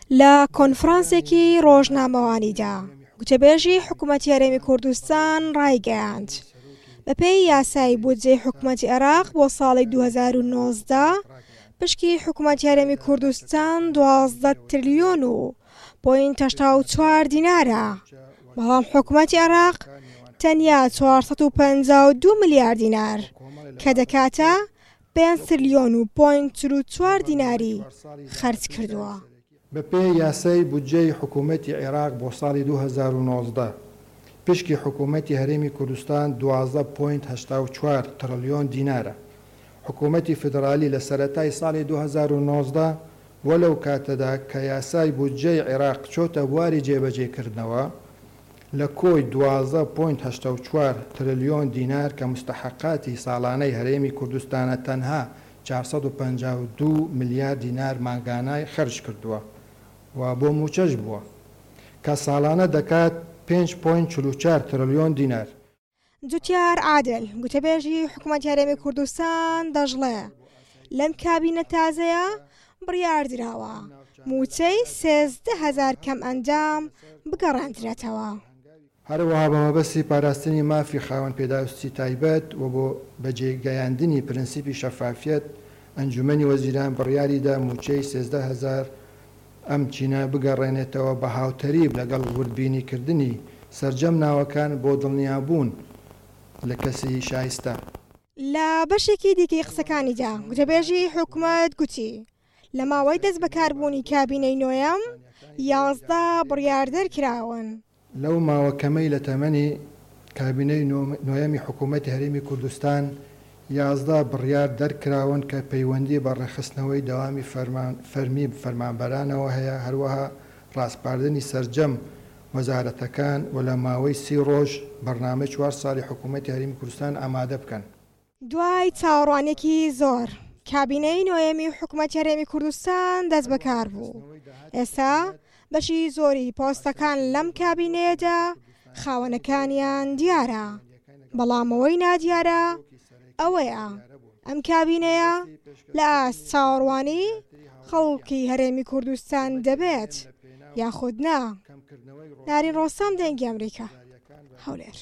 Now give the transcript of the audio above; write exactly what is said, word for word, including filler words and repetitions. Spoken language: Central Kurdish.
لە کۆنفرانسێکی ڕۆژنامەوانیدا گوتەبێژی حکوومەتی هەرێمی کوردستان ڕایگەیاند، بەپێی یاسای بودجەی حکوومەتی عێراق بۆ ساڵی دوو هەزار و نۆزدە پشکی حکوومەتی هەرێمی کوردستان دوازدە تریلیۆن و پۆینت هەشتا و چوار دینارە، بەڵام حکوومەتی عێراق تەنیا چوار سەد و پەنجا و دوو ملیار دینار کە دەکاتە پێنج تریلیۆن و پۆینت چل و چوار دیناری خەرج کردووە. بەپێی یاسای بودجەی حکوومەتی عێراق بۆ ساڵی دوو هەزار و نۆزدە پشکی حکوومەتی هەرێمی کوردستان دوازدە پۆینت هەشتا و چوار ترلیۆن دینارە. حکوومەتی فیدرالی لە سەرەتای ساڵی دوو هەزار و نۆزدە وەلەو کاتەدا کە یاسای بودجەی عێراق چۆتە بواری جێبەجێکردنەوە لە کۆی دوازدە پۆینت هەشتا و چوار ترلیۆن دینار کە مستحقاتی ساڵانەی هەرێمی کوردستانە تەنها چوار سەد و پەنجا و دوو ملیار دینار مانگانای خەرج کردووە و بۆ موچەش بووە کە ساڵانە دەکات پێنج پۆینت چل و چوار ترلیۆن دینار. جوتیار عادل گوتەبێژی حکوومەتی هەرێمی کوردستان دەژڵێ لەم کابینە تازەیە بڕیار دراوە موچەی سێزدە هەزار کەم ئەندام بگەڕاندرێتەوە. هەروەها بە مەبەستی پاراستنی مافی خاوەن پێداویستی تایبەت و بۆ بەجێگەیاندنی پرەنسیپی شەفافیەت ئەنجومەنی وەزیران بڕیاریدا موچەی سێزدە هەزار ئەم چینە بگەڕێنێتەوە بە هاوتەریب لەگەڵ وردبینیکردنی سەرجەم ناوەکان بۆ دڵنیابوون لە کەسی شایستە. لە بەشێکی دیکەی قسەکانیدا گوتەبێژی حکوومەت گوتی لە ماوەی دەست بەکاربوونی کابینەی نۆیەم یازدە بڕیار دەرکراون. لەو ماوە کەمەی لە تەمەنی کابینەی نۆیەمی حکوومەتی هەرێمی کوردستان یازدە بڕیار دەرکراون کە پەیوەندی بە ڕێکخستنەوەی دەوامی فەرمی فەرمانبەرانەوە هەیە، هەروەها ڕاسپاردنی سەرجەم وەزارەتەکان و لە ماوەی سی ڕۆژ بەرنامەی چوار ساڵی حکوومەتی هەرێمی کوردستان ئامادە بکەن. دوای چاوەڕوانیەکی زۆر کابینەی نۆیەمی حکوومەتی هەرێمی کوردستان دەست بەکار بوو. ئێستا بەشی زۆری پۆستەکان لەم کابینەیەدا خاوەنەکانیان دیارە، بەڵام ئەوەی نادیارە ئەوەیە ئەم کابینەیە لە ئاست چاوەڕوانی خەڵکی هەرێمی کوردستان دەبێت یاخود نا. نارین ڕۆسەم، دەنگی ئەمریکا، هەولێر.